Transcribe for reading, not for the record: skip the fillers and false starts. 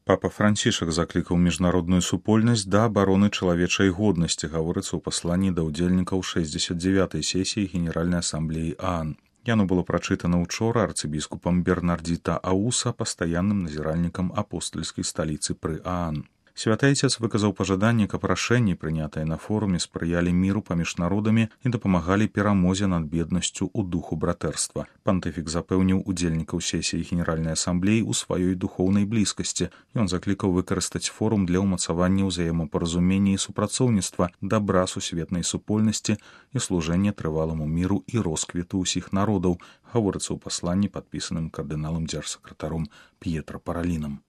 Папа Францішак заклікаў міжнародную супольнасць да абароны чалавечай годнасці, гаворыцца ў пасланні да ўдзельнікаў 69-й сесіі Генеральнай асамблеі ААН. Яно было прачытана ўчора арцыбіскупам Бернардзіта Ауса, пастаянным назіральнікам апостальскай сталіцы пры ААН. Святы Айцец выказаў пажаданне, каб рашэнні, прынятыя на форуме, спрыялі міру паміж народамі і дапамагалі перамозе над беднасцю ў духу братэрства. Пантыфік запэўніў удзельнікаў сесіі Генеральнай асамблеі ў сваёй духоўнай блізкасці. Ён заклікаў выкарыстаць форум для ўмацавання ўзаемапаразумення і супрацоўніцтва, дабра сусветнай супольнасці і служэння трываламу міру і росквіту ўсіх народаў, гаворыцца ў пасланні, падпісаным кардыналам дзяржсакратаром П'етра Паралінам.